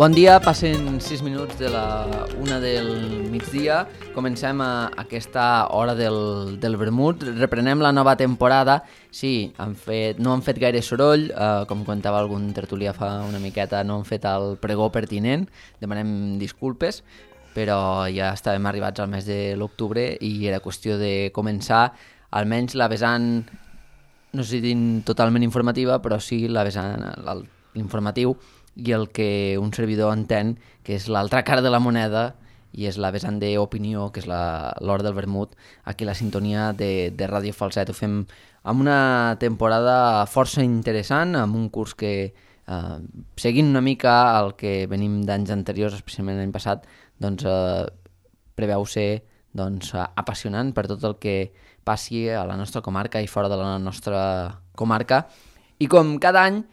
Bon dia, passen 6 minuts de la 1 del migdia. Comencem aquesta hora del vermut. Reprenem la nova temporada. Sí, no han fet gaire soroll, com contava algun tertulià fa una miqueta, no han fet el pregó pertinent. Demanem disculpes, però ja estàvem arribats al mes de l'octubre i era qüestió de començar almenys la vessant, no sé si dir totalment informativa, però sí la vessant l'informatiu i el que un servidor entén que és l'altra cara de la moneda i és la vessant d'opinió, que és l'hora del vermut, aquí la sintonia de Ràdio Falset. Ho fem amb una temporada força interessant, amb un curs que, seguint una mica el que venim d'anys anteriors, especialment l'any passat, doncs, preveu ser apassionant per tot el que passi a la nostra comarca i fora de la nostra comarca. I com cada any,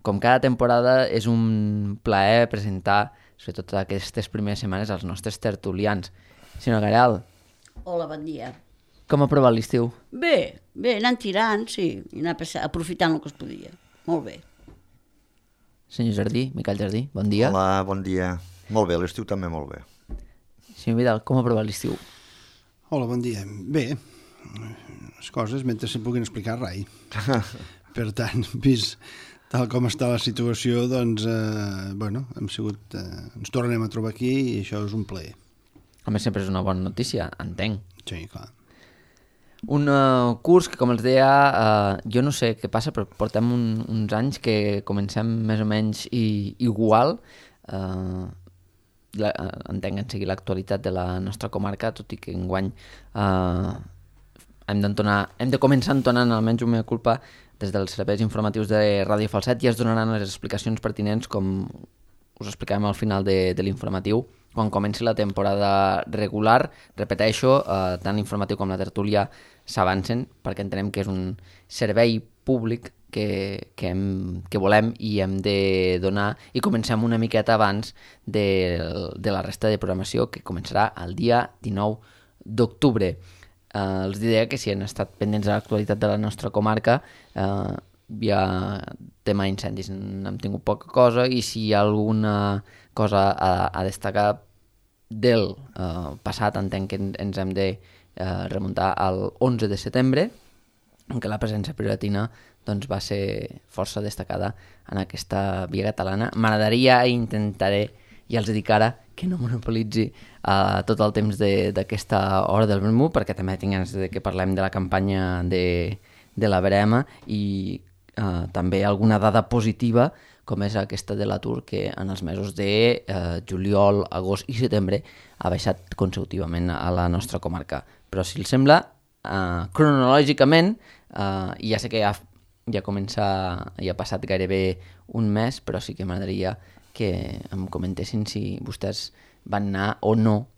com cada temporada, és un plaer presentar, sobretot aquestes primeres setmanes, als nostres tertulians. Senyor Garal. Hola, bon dia. Com ha provat l'estiu? Bé, anant tirant, sí, i anar aprofitant el que es podia. Molt bé. Senyor Jardí, Miquel Jardí, bon dia. Hola, bon dia. Molt bé, l'estiu també molt bé. Senyor Vidal, com ha provat l'estiu? Hola, bon dia. Bé, les coses mentre se puguin explicar rai. Per tant, vist tal com està la situació, doncs, hem sigut, ens tornem a trobar aquí i això és un plaer. A més, sempre és una bona notícia, entenc. Sí, clar. Un curs que, com els deia, jo no sé què passa, però portem uns anys que comencem més o menys igual. Entenc que en sigui l'actualitat de la nostra comarca, tot i que enguany hem de començar entonant, almenys una meva culpa, des dels serveis informatius de Ràdio Falset, i es donaran les explicacions pertinents, com us explicarem al final de l'informatiu, quan comenci la temporada regular. Repeteixo, tant l'informatiu com la tertúlia s'avancen, perquè entenem que és un servei públic que volem i hem de donar, i comencem una miqueta abans de la resta de programació, que començarà el dia 19 d'octubre. Els diré que si han estat pendents de l'actualitat de la nostra comarca, hi ha tema incendis, n'hem tingut poca cosa, i si hi ha alguna cosa a destacar del passat, entenc que ens hem de remuntar al 11 de setembre, en què la presència piratina doncs, va ser força destacada en aquesta via catalana. M'agradaria i intentaré, i els dic ara, que no monopolitzi tot el temps d'aquesta hora del vermut, perquè també tinc ganes que parlem de la campanya de la Verema i també alguna dada positiva, com és aquesta de l'atur, que en els mesos de juliol, agost i setembre ha baixat consecutivament a la nostra comarca. Però si els sembla, cronològicament, ja sé que ja ha passat gairebé un mes, però sí que m'agradaria que em comentessin si vostès van anar o no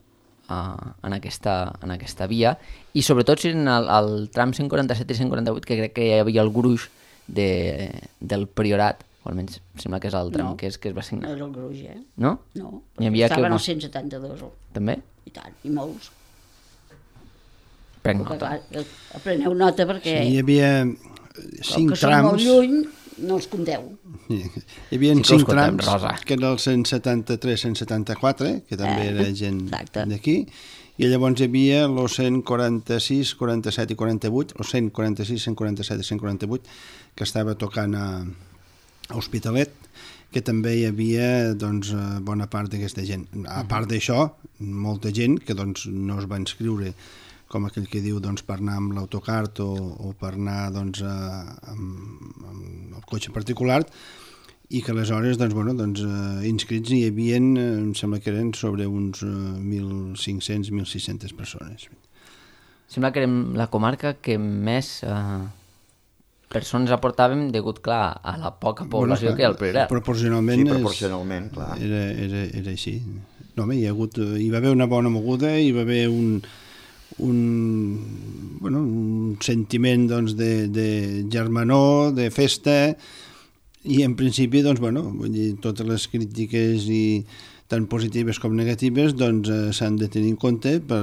en aquesta via, i sobretot si en el tram 147 i 148, que crec que hi havia el gruix del Priorat, o almenys sembla que és el tram que es va signar. No és el gruix, No? No, perquè estaven als 172. També? I tant, i molts. Prenc nota. Preneu nota perquè... Sí, hi havia 5 trams... Que són molt lluny, no els compteu. Hi havia 5 trams, Rosa, que era el 173-174, que també era gent d'aquí, i llavors hi havia els 146, 47 i 48, o 146, 147 i 148, que estava tocant a Hospitalet, que també hi havia doncs, bona part d'aquesta gent. A part d'això, molta gent que doncs, no es va inscriure, com aquell que diu, doncs, per anar amb l'autocart o per anar doncs, amb el cotxe particular, i que aleshores inscrits hi havia, em sembla que eren sobre uns 1.500-1.600 persones. Sembla que érem la comarca que més persones aportàvem degut, clar, a la poca població que hi ha al Priorat. Proporcionalment, sí, proporcionalment, clar. Era així. No, hi va haver una bona moguda, hi va haver un sentiment doncs, de germanor, de festa, i en principi totes les crítiques tant positives com negatives s'han de tenir en compte per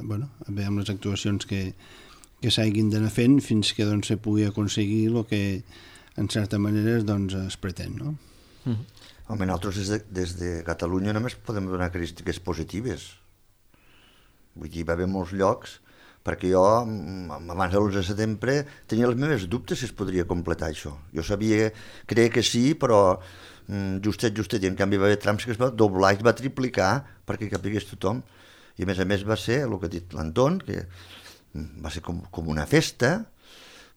veure amb les actuacions que s'hagin d'anar fent fins que se pugui aconseguir el que en certa manera es pretén, no? Home, nosaltres des de Catalunya només podem donar crítiques positives. Vull dir, va haver molts llocs, perquè jo, abans de l'11 de setembre, tenia els meus dubtes si es podria completar això. Jo creia que sí, però justet, i en canvi va haver trams que es va doblar i es va triplicar perquè capigués tothom. I a més va ser, el que ha dit l'Anton, que va ser com una festa,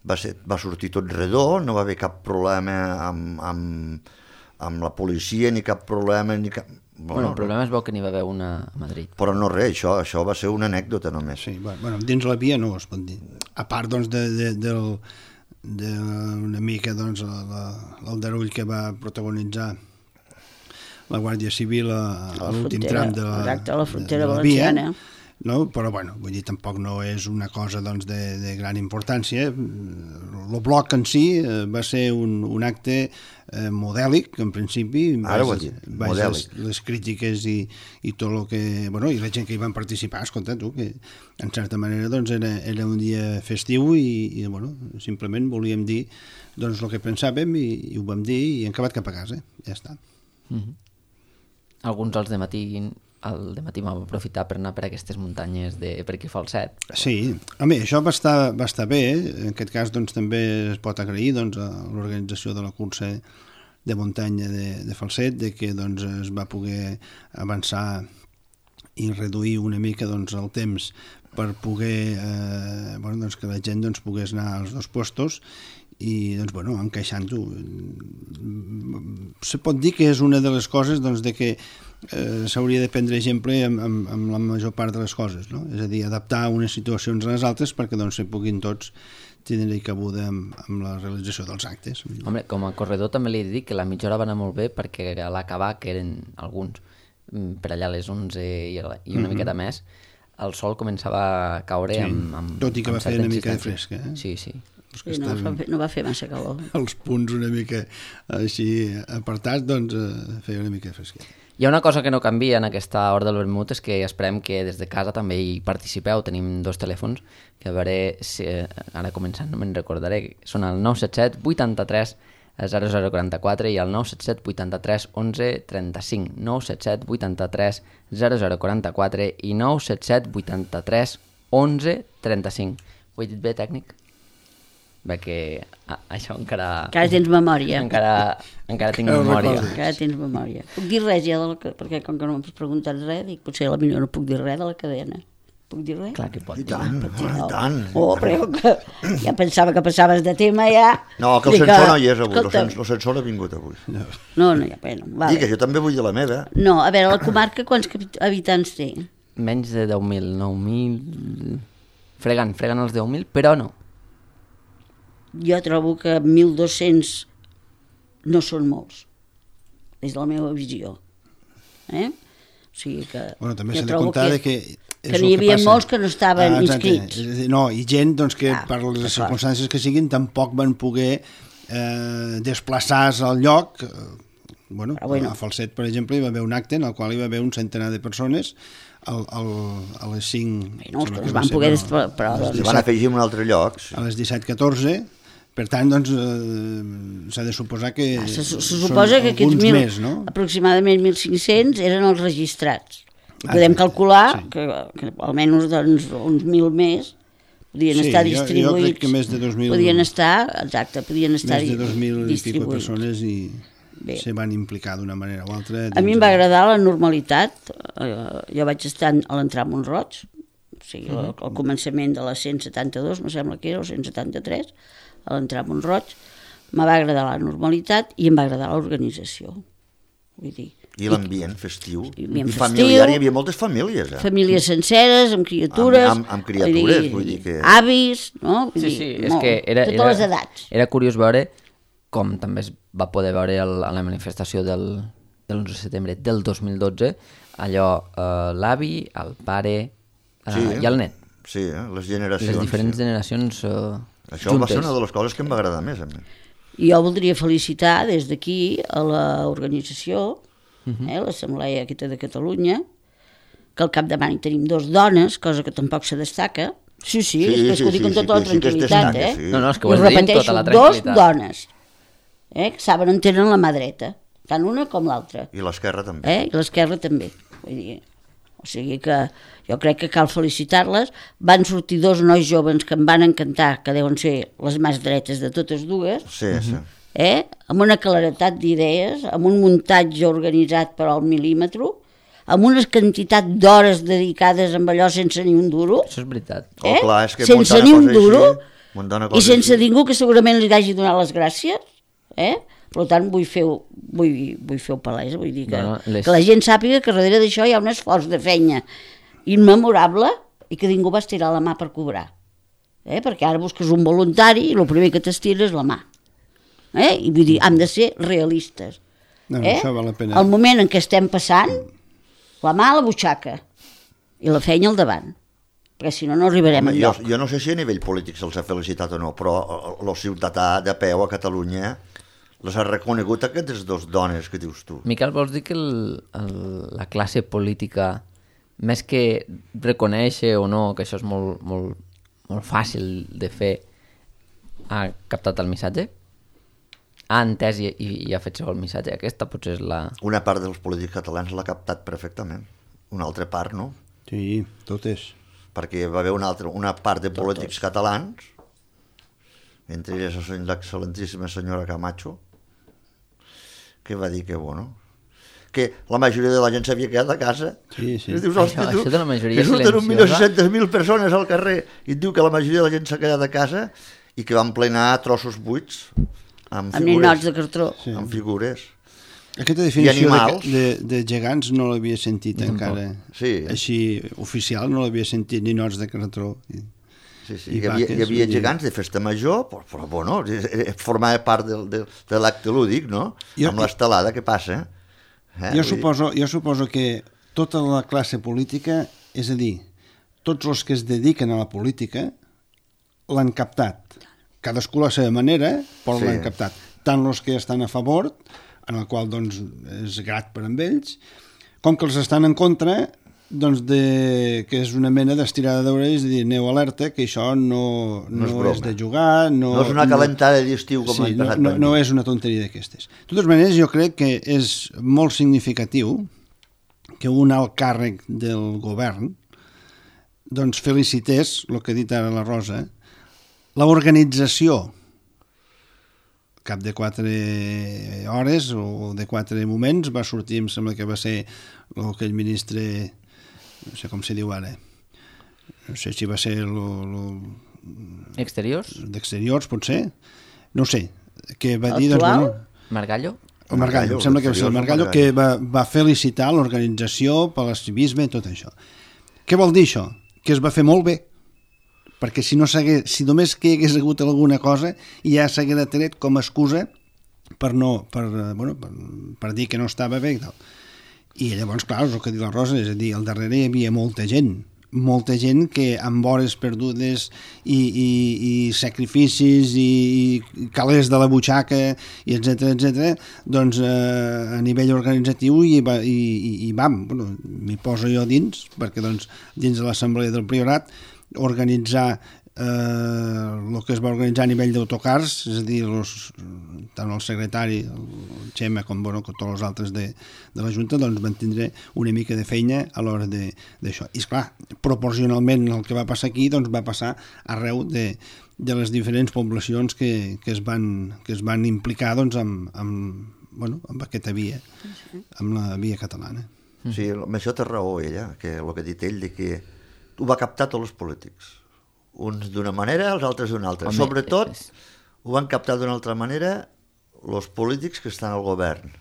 va sortir tot redó, no va haver cap problema amb la policia, ni cap problema, ni cap... Bueno, el problema és bo que n'hi va haver una a Madrid. Però no res, això va ser una anècdota només. Sí, bueno, dins la via no es pot dir. A part, doncs, d'una mica, doncs, l'aldarull que va protagonitzar la Guàrdia Civil a l'últim tram de la frontera valenciana. No? Però, bueno, vull dir, tampoc no és una cosa, doncs, de gran importància. El bloc en si va ser un acte modèlic, en principi. Ara ho has dit, modèlic. Les crítiques i tot el que... Bueno, i la gent que hi van participar, escolta, tu, que en certa manera, doncs, era un dia festiu i bueno, simplement volíem dir, doncs, el que pensàvem i ho vam dir i hem acabat cap a casa. Ja està. Alguns al dematí vam aprofitar per anar per aquestes muntanyes per aquí Falset. Sí, home, això va estar bé. En aquest cas, doncs, també es pot agrair, doncs, a l'organització de la cursa de muntanya de Falset, de que, doncs, es va poder avançar i reduir una mica, doncs, el temps per poder bueno, doncs, que la gent, doncs, pogués anar als dos puestos i, doncs, bueno, encaixant-ho. Se pot dir que és una de les coses, doncs, de que s'hauria de prendre exemple amb la major part de les coses, no? És a dir, adaptar unes situacions a les altres perquè, doncs, se puguin tots tindre cabuda amb la realització dels actes. Home, com a corredor també li he dit que la mitja hora va anar molt bé perquè a l'acabar, que eren alguns per allà a les 11 i una miqueta més, el sol començava a caure amb tot i que va fer una mica de fresca. Sí, sí. Sí, no va fer massa calor. Els punts una mica així apartats, doncs feia una mica de fresca. Hi ha una cosa que no canvia en aquesta hora del vermut, és que esperem que des de casa també hi participeu. Tenim 2 telèfons, que a veure si ara començant no me'n recordaré. Són el 977 83 0044 i el 977 83 11 35. 977 83 0044 i 977 83 11 35. Ho he dit bé, tècnic? Bé, que això encara... Encara tens memòria. Encara tinc memòria. Encara tens memòria. Puc dir res ja perquè com que no m'has preguntat res, dic, potser potser no puc dir res de la cadena. Puc dir res? Clar que pot dir. I tant. Oh, però ja pensava que passaves de tema ja. No, que el censor no hi és avui. El censor ha vingut avui. No, hi ha pena. Vale. Digue, jo també vull dir la meva. No, a veure, la comarca quants habitants té? Menys de 10.000, 9.000... Fregant els 10.000, però no. Jo trobo que 1.200 no són molts, des de la meva visió. O sigui que... Bueno, també s'ha de comptar que n'hi havia molts que no estaven inscrits. No, i gent doncs, que per les circumstàncies que siguin tampoc van poder desplaçar-se al lloc. Bueno, a Falset, per exemple, hi va haver un acte en el qual hi va haver un centenar de persones a les 5... No, que es van poder desplaçar. Es van afegir en un altre lloc. A les 17:14. Per tant, doncs, s'ha de suposar que se suposa que aquests més, no? Aproximadament 1.500 eren els registrats. Podem calcular que almenys doncs, uns 1.000 més podien estar distribuïts. Jo crec que més de 2.000... Podien estar més de 2.000 i escaig persones i se van implicar d'una manera o altra. A mi em va agradar la normalitat. Jo vaig estar a l'entrar a Montroig, o sigui, al començament de la 172, me sembla que era, o 173, a l'entrar a Montroig, me va agradar la normalitat i em va agradar l'organització. Vull dir... I l'ambient festiu. I familiar, hi havia moltes famílies. Famílies senceres, amb criatures. Amb criatures, vull dir que... Avis, no? Sí, és que totes les edats. Era curiós veure, com també es va poder veure a la manifestació del 11 de setembre del 2012, allò, l'avi, el pare i el net. Sí, les generacions. Les diferents generacions... Això juntes. Va ser una de les coses que em va agradar més a mi. I jo voldria felicitar des d'aquí a l'organització, l'Assemblea aquesta de Catalunya, que al capdavant hi tenim 2 dones, cosa que tampoc se destaca. Sí, és que ho dic amb tota la tranquil·litat. No, és que ho has dit amb tota la tranquil·litat. 2 dones, que saben entenen la mà dreta. tant una com l'altra. I l'Esquerra també. I l'Esquerra també. Vull dir, o sigui que jo crec que cal felicitar-les. Van sortir 2 nois joves que em van encantar, que deuen ser les més dretes de totes dues, Sí, sí. Amb una claretat d'idees, amb un muntatge organitzat per al mil·límetre, amb una quantitat d'hores dedicades amb allò sense ni un duro. Això és veritat. Clar, és que sense ni un duro, i sense així. ningú que segurament li hagi donat les gràcies. Per tant, vull fer-ho palès, vull dir que la gent sàpiga que darrere d'això hi ha un esforç de feina immemorable i que ningú va estirar la mà per cobrar. Perquè ara busques un voluntari i el primer que t'estira és la mà. I vull dir, hem de ser realistes. Això val la pena. El moment en què estem passant, la mà a la butxaca i la feina al davant, perquè si no, no arribarem enlloc. Jo no sé si a nivell polític se'ls ha felicitat o no, però el ciutadà de peu a Catalunya les ha reconegut aquestes 2 dones que dius tu. Miquel, vols dir que la classe política, més que reconèixer o no, que això és molt, molt, molt fàcil de fer, ha captat el missatge? Ha entès i ha fet segon el missatge? Aquesta potser és la... Una part dels polítics catalans l'ha captat perfectament. Una altra part, no? Sí, totes. Perquè va haver una part de polítics catalans, entre elles l'excel·lentíssima senyora Camacho, que va dir que, bueno, que la majoria de la gent s'havia quedat a casa. Sí, sí. I dius, hosti, això de la majoria que surten 1.600.000 persones al carrer i et diu que la majoria de la gent s'ha quedat a casa i que van plenar trossos buits amb figures. Ninots de cartró. Sí. Amb figures. Aquesta definició de gegants no l'havia sentit encara. Sí. Així, oficial, no l'havia sentit, ninots de cartró. Sí, sí. Hi havia gegants de festa major, però bueno, formava part de l'acte lúdic, no? Amb l'estelada que passa. Jo suposo que tota la classe política, és a dir, tots els que es dediquen a la política l'han captat. Cadascú a la seva manera, però l'han captat. Tant els que estan a favor, en el qual doncs, és grat per amb ells, com que els estan en contra, doncs que és una mena d'estirada d'orelles i dir, aneu alerta, que això no és de jugar... No és una calentada d'estiu com l'any passat. No és una tonteria d'aquestes. De totes maneres, jo crec que és molt significatiu que un alt càrrec del govern doncs felicités, el que ha dit ara la Rosa, l'organització cap de 4 hores o de 4 moments va sortir, em sembla que va ser aquell ministre, no sé com se diu ara, no sé si va ser Exteriors? D'Exteriors, potser, no sé, que va dir... Actual? Margallo? O Margallo, em sembla que va ser el Margallo, que va felicitar l'organització per l'escivisme i tot això. Què vol dir això? Que es va fer molt bé, perquè si només que hi hagués hagut alguna cosa ja s'hagués tret com a excusa per dir que no estava bé i tal. I llavors, clar, és el que diu la Rosa, és a dir, al darrere hi havia molta gent que amb hores perdudes i sacrificis i calés de la butxaca i etcètera, doncs a nivell organitzatiu m'hi poso jo dins, perquè doncs dins de l'assemblea del Priorat organitzar el que es va organitzar a nivell d'autocars, és a dir, tant el secretari, el Xema, com tots els altres de la Junta, doncs van tindre una mica de feina a l'hora d'això. I esclar, proporcionalment el que va passar aquí doncs va passar arreu de les diferents poblacions que es van implicar doncs, amb aquesta via, amb la via catalana. Sí, amb això té raó ella, que el que ha dit ell, de que ho va captar tots els polítics. Uns d'una manera, els altres d'una altra. Sobretot, ho van captar d'una altra manera els polítics que estan al govern,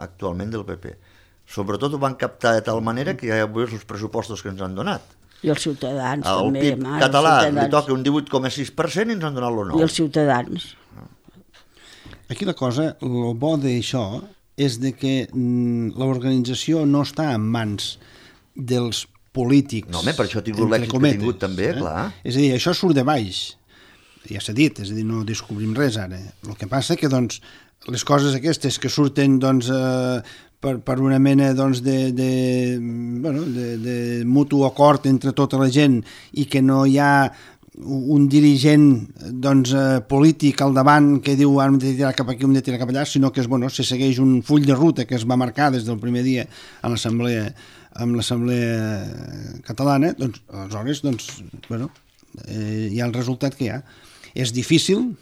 actualment del PP. Sobretot ho van captar de tal manera que ja heu vist els pressupostos que ens han donat. I els ciutadans també. El PIB català li toca un 18,6% i ens han donat el 9%. I els ciutadans. Aquí la cosa, el bo d'això és de que l'organització no està en mans dels polítics. No, per això ha tingut l'èxit que ha tingut també, clar. És a dir, això surt de baix, ja s'ha dit, és a dir, no descobrim res ara. El que passa que, doncs, les coses aquestes que surten, doncs, per una mena, doncs, de mutu acord entre tota la gent i que no hi ha un dirigent polític al davant que diu hem de tirar cap aquí, hem de tirar cap allà, sinó que se segueix un full de ruta que es va marcar des del primer dia a l'Assemblea catalana, doncs aleshores hi ha el resultat que hi ha. És difícil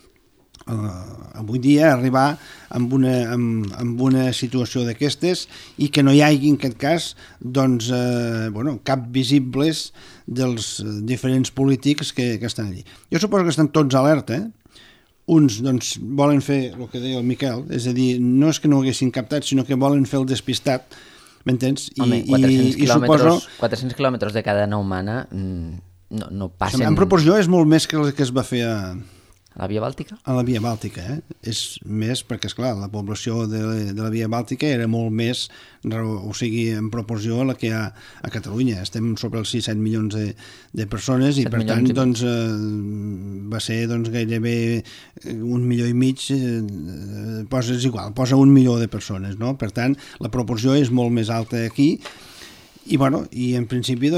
avui dia arribar amb una situació d'aquestes i que no hi hagi en aquest cas cap visibles dels diferents polítics que estan allí. Jo suposo que estan tots alerta, uns volen fer el que deia el Miquel, és a dir, no és que no ho haguessin captat, sinó que volen fer el despistat, m'entens? Home, 400 quilòmetres de cadena humana no passen... En proporció és molt més que el que es va fer a la Via Bàltica? A la Via Bàltica, és més perquè, esclar, la població de la Via Bàltica era molt més, o sigui, en proporció a la que hi ha a Catalunya. Estem sobre els 6-7 milions de persones i, per tant, va ser gairebé 1,5 milions, posa 1 milió de persones, no? Per tant, la proporció és molt més alta aquí. I en principi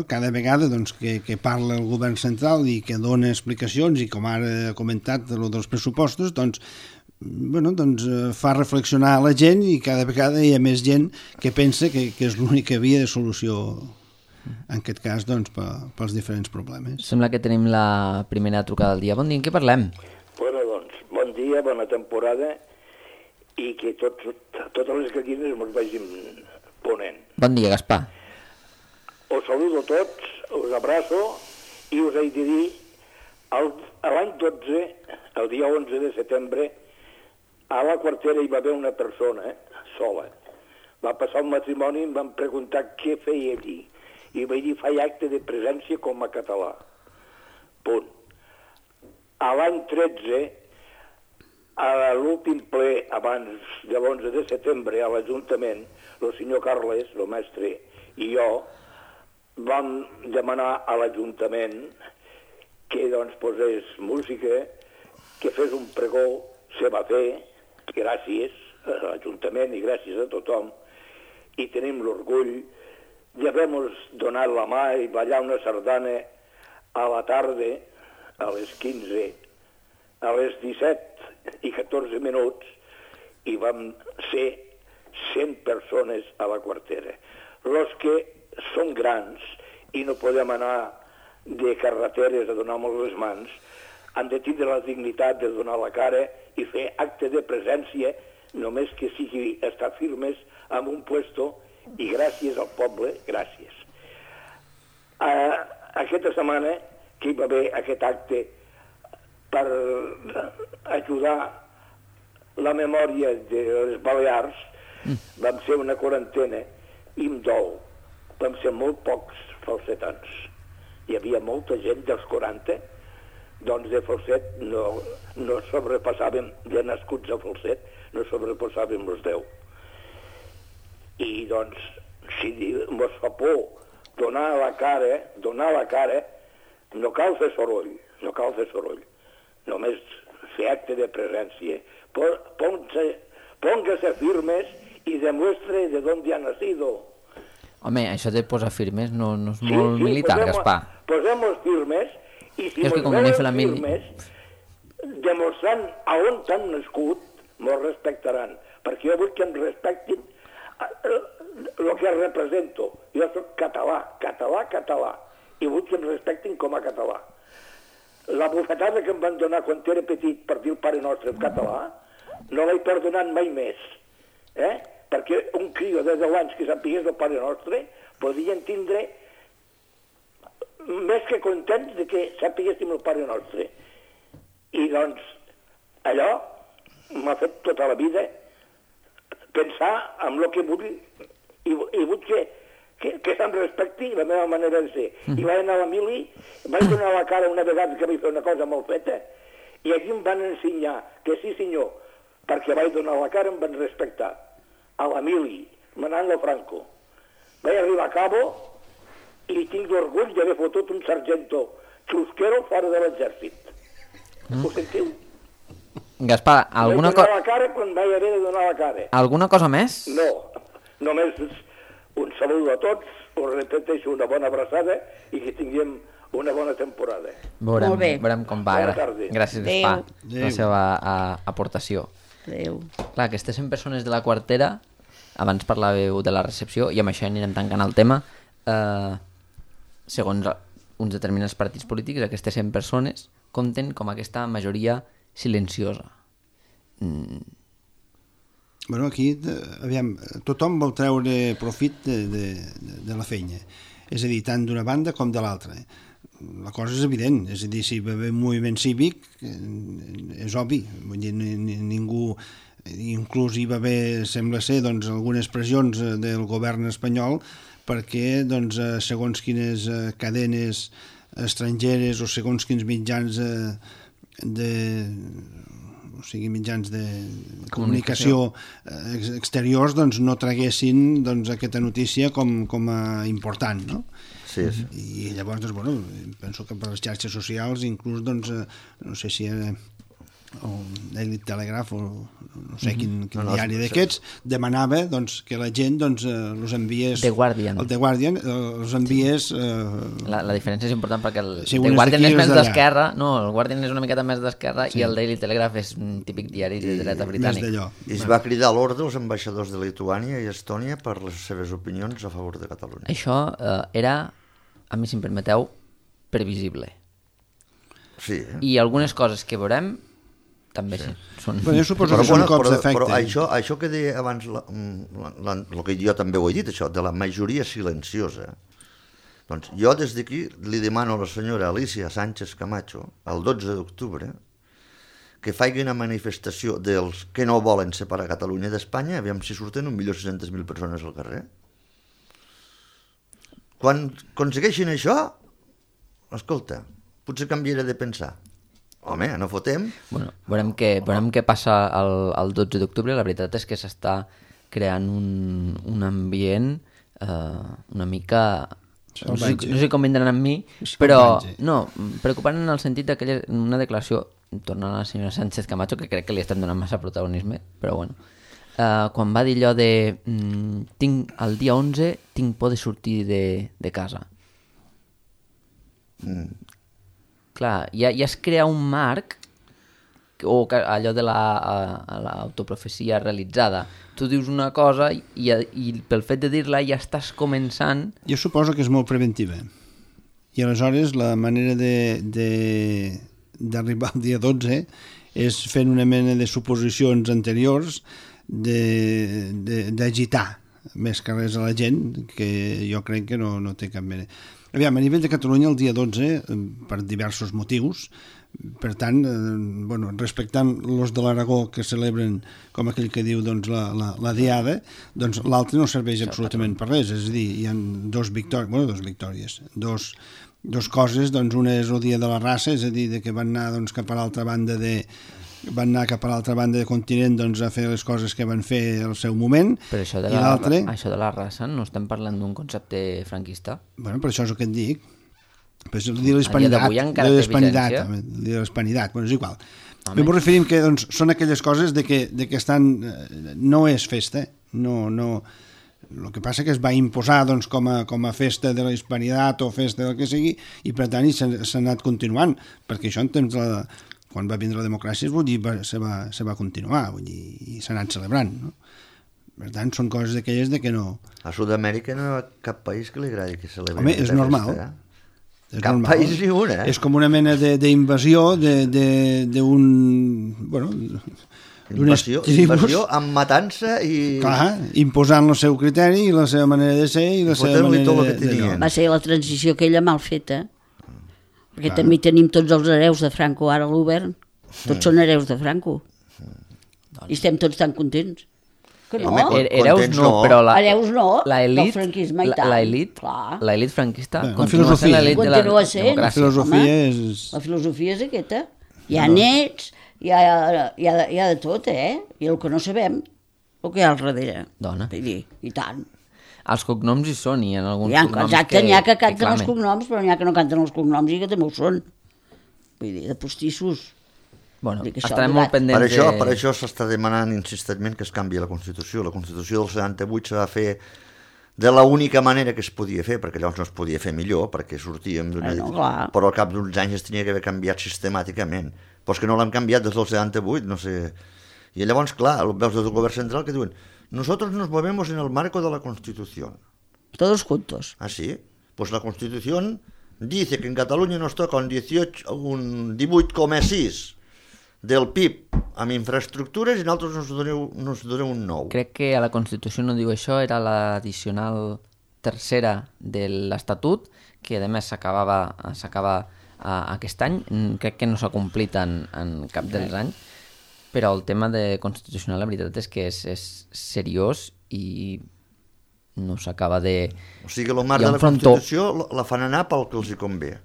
cada vegada que parla el govern central i que dona explicacions i com ara ha comentat dels pressupostos fa reflexionar la gent i cada vegada hi ha més gent que pensa que és l'única via de solució en aquest cas pels diferents problemes. Sembla que tenim la primera trucada del dia. Bon dia, en què parlem? Bon dia, bona temporada i que totes les gallines ens vagin ponent. Bon dia, Gaspar. Us saludo a tots, us abraço i us he de dir, l'any 12, el dia 11 de setembre, a la quartera hi va haver una persona sola. Va passar el matrimoni i em van preguntar què feia allí. I vaig dir, faig acte de presència com a català. Punt. A l'any 13, a l'últim ple abans de l'11 de setembre a l'Ajuntament, el senyor Carles, el mestre, i jo, vam demanar a l'Ajuntament que posés música, que fes un pregó, se va fer, gràcies a l'Ajuntament i gràcies a tothom, i tenim l'orgull d'haver-nos donat la mà i ballar una sardana a la tarda, a les 15, a les 17 i 14 minuts, i vam ser 100 persones a la quartera. Els que són grans i no podem anar de carreteres a donar-nos les mans, han de tindre la dignitat de donar la cara i fer acte de presència, només que sigui estar firmes en un puesto, i gràcies al poble, gràcies. Aquesta setmana que hi va haver aquest acte per ajudar la memòria de les Balears, vam fer una quarantena i em dol. Vam ser molt pocs falsetans. Hi havia molta gent dels 40, de falset no sobrepassàvem, de nascuts a falset, no sobrepassàvem els 10. I si mos fa por donar la cara, no cal fer soroll, només fer acte de presència. Póngase firmes y demuestre de dónde ha nacido. Home, això de posar firmes no és molt militar, Gaspar. Posem-nos firmes i si ens veuen firmes, demostrant a on han nascut, ens respectaran. Perquè jo vull que em respectin el que represento. Jo soc català, i vull que em respectin com a català. La bufetada que em van donar quan era petit per dir el Pare Nostre en català, no l'he perdonat mai més. Perquè un crió de 10 anys que sapigués el Pare Nostre podien tindre més que contents de que sapiguéssim el Pare Nostre. I allò m'ha fet tota la vida pensar en el que vull i vull que se'm respecti la meva manera de ser. I vaig anar a la mili, vaig donar la cara una vegada que vaig fer una cosa molt feta i aquí em van ensenyar que sí senyor, perquè vaig donar la cara em van respectar. A la mili, manant a Franco. Vaig arribar a Cabo i tinc l'orgull d'haver fotut un sargento xusquero fora de l'exèrcit. Ho sentiu? Gaspar, alguna cosa... Vaig donar la cara quan vaig haver de donar la cara. Alguna cosa més? No, només un saludo a tots, us repeteixo una bona abraçada i que tinguem una bona temporada. Veurem com va. Gràcies, Gaspar, per la seva aportació. Adéu. Clar, aquestes 100 persones de la quartera, abans parlàveu de la recepció, i amb això anirem tancant el tema, segons uns determinats partits polítics, aquestes 100 persones compten com aquesta majoria silenciosa. Bueno, aquí, aviam, tothom vol treure profit de la feina, és a dir, tant d'una banda com de l'altra. La cosa és evident, és a dir, si hi va haver un moviment cívic, és obvi, vull dir, ningú, inclús hi va haver, sembla ser, doncs, algunes pressions del govern espanyol perquè, doncs, segons quines cadenes estrangeres o segons quins mitjans mitjans de comunicació exteriors, doncs, no traguessin, doncs, aquesta notícia com a important, no? Sí. I llavors, doncs, bueno, penso que per les xarxes socials, inclús, doncs, no sé si era el Daily Telegraph o no sé quin diari d'aquests, demanava, doncs, que la gent, doncs, els enviés... The Guardian. El The Guardian, els enviés... La diferència és important perquè el The Guardian és més d'esquerra, no, el Guardian és una miqueta més d'esquerra i el Daily Telegraph és un típic diari de dreta britànic. I es va cridar a l'ordre els ambaixadors de Lituània i Estònia per les seves opinions a favor de Catalunya. Això era, a mi si em permeteu, previsible. Sí. I algunes coses que veurem també sí. Són... Però jo suposo que són cops d'efecte. Però això que deia abans, el que jo també ho he dit, això, de la majoria silenciosa, doncs jo des d'aquí li demano a la senyora Alicia Sánchez Camacho, el 12 d'octubre, que faci una manifestació dels que no volen separar Catalunya d'Espanya, aviam si surten 1.600.000 persones al carrer. Quan aconsegueixin això, escolta, potser canviaré de pensar. Home, no fotem. Bueno, veurem què passa el 12 d'octubre. La veritat és que s'està creant un ambient una mica... No sé com vindran amb mi, però no, preocupant en el sentit d'aquella una declaració, tornant a la senyora Sánchez Camacho, que crec que li estem donant massa protagonisme, però bueno, quan va dir allò de el dia 11 tinc por de sortir de casa. Clar, ja es crea un marc o allò de l'autoprofecia realitzada. Tu dius una cosa i pel fet de dir-la ja estàs començant... Jo suposo que és molt preventiva. I aleshores la manera d'arribar al dia 12 és fent una mena de suposicions anteriors d'agitar més que res a la gent, que jo crec que no té cap mena... Aviam, a nivell de Catalunya el dia 12, per diversos motius, per tant, respectant els de l'Aragó que celebren, com aquell que diu, doncs, la diada, doncs l'altre no serveix absolutament per res, és a dir, hi ha dos victòries, dos coses, doncs una és el dia de la raça, és a dir, que van anar doncs, cap a l'altra banda del continent doncs, a fer les coses que van fer al seu moment. Però això de la raça no estem parlant d'un concepte franquista? Bueno, per això és el que et dic. Però és el dia de l'hispanitat. El dia de l'hispanitat, bueno, és igual. M'ho referim que doncs, són aquelles coses de que estan... No és festa, no... El que passa que es va imposar doncs, com a festa de la hispanitat o festa del que sigui, i per tant s'ha anat continuant, perquè això en temps quan va vindre la democràcia se va continuar, vull dir, i s'ha anat celebrant, no? Per tant, són coses d'aquelles de que no... A Sud-amèrica no hi ha cap país que li agradi que celebri. Home, és normal. Cap país ni un, És com una mena d'invasió d'un... Bueno, invasió amb matança i... Clar, imposant el seu criteri i la seva manera de ser i la seva manera de... Va ser la transició aquella mal feta. Perquè també tenim tots els hereus de Franco ara a l'Obern. Tots són hereus de Franco. I estem tots tan contents. Que no? Hereus no, però hereus no, del franquisme i tant. L'elit franquista continua sent l'elit de la democràcia. La filosofia és aquesta. Hi ha nets, hi ha de tot, I el que no sabem, el que hi ha al darrere. Dona. I tant. Els cognoms hi són, i en alguns cognoms exacte, n'hi ha que canten els cognoms, però n'hi ha que no canten els cognoms i que també ho són. Vull dir, de postissos. Bueno, estarem molt pendents Per això s'està demanant insistentment que es canvi la Constitució. La Constitució del 78 se va fer de l'única manera que es podia fer, perquè llavors no es podia fer millor, perquè sortíem però al cap d'uns anys es tenia que haver canviat sistemàticament. Però és que no l'hem canviat des del 78, no sé. I llavors, clar, veus des del govern central que diuen nosotros nos movemos en el marco de la Constitución. Todos juntos. Ah, sí? Pues la Constitución dice que en Catalunya nos toca un 18,6 del PIB amb infraestructures i nosaltres nos doneu un 9. Crec que a la Constitució no diu això, era l'addicional tercera de l'Estatut, que a més s'acaba aquest any, crec que no s'ha complit en cap dels anys, però el tema de constitucional la veritat és que és seriós i no s'acaba de... O sigui, el marc de la Constitució la fan anar pel que els hi convé.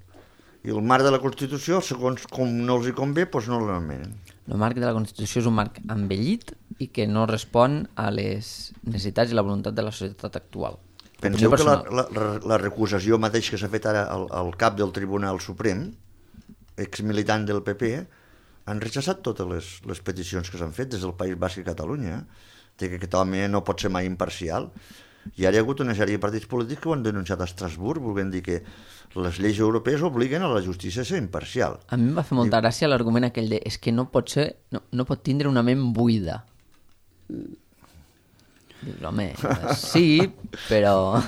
I el marc de la Constitució, segons com no els hi convé, doncs no l'anomenen. El marc de la Constitució és un marc envellit i que no respon a les necessitats i la voluntat de la societat actual. Penseu que la recusació mateix que s'ha fet ara al cap del Tribunal Suprem, exmilitant del PP, han rechaçat totes les peticions que s'han fet des del País Basc i Catalunya, que aquest home no pot ser mai imparcial. I ara hi ha hagut una sèrie de partits polítics que ho han denunciat a Estrasburg, volent dir que les lleis europees obliguen a la justícia a ser imparcial. A mi em va fer molta gràcia l'argument aquell de és que no pot tindre una ment buida. Dius, home, sí, però...